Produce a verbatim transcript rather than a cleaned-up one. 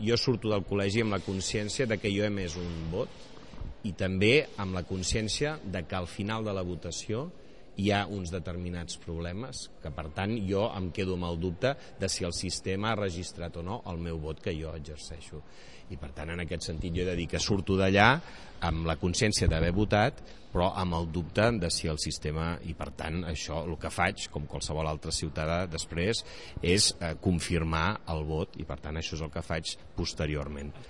jo surto del col·legi amb la consciència de que jo he emès un vot i també amb la consciència de que al final de la votació hi ha uns determinats problemes que, per tant, jo em quedo amb el dubte de si el sistema ha registrat o no el meu vot que jo exerceixo. I, per tant, en aquest sentit, jo he de dir que surto d'allà amb la consciència d'haver votat, però amb el dubte de si el sistema... I, per tant, això, el que faig, com qualsevol altre ciutadà després, és eh, confirmar el vot i, per tant, això és el que faig posteriorment.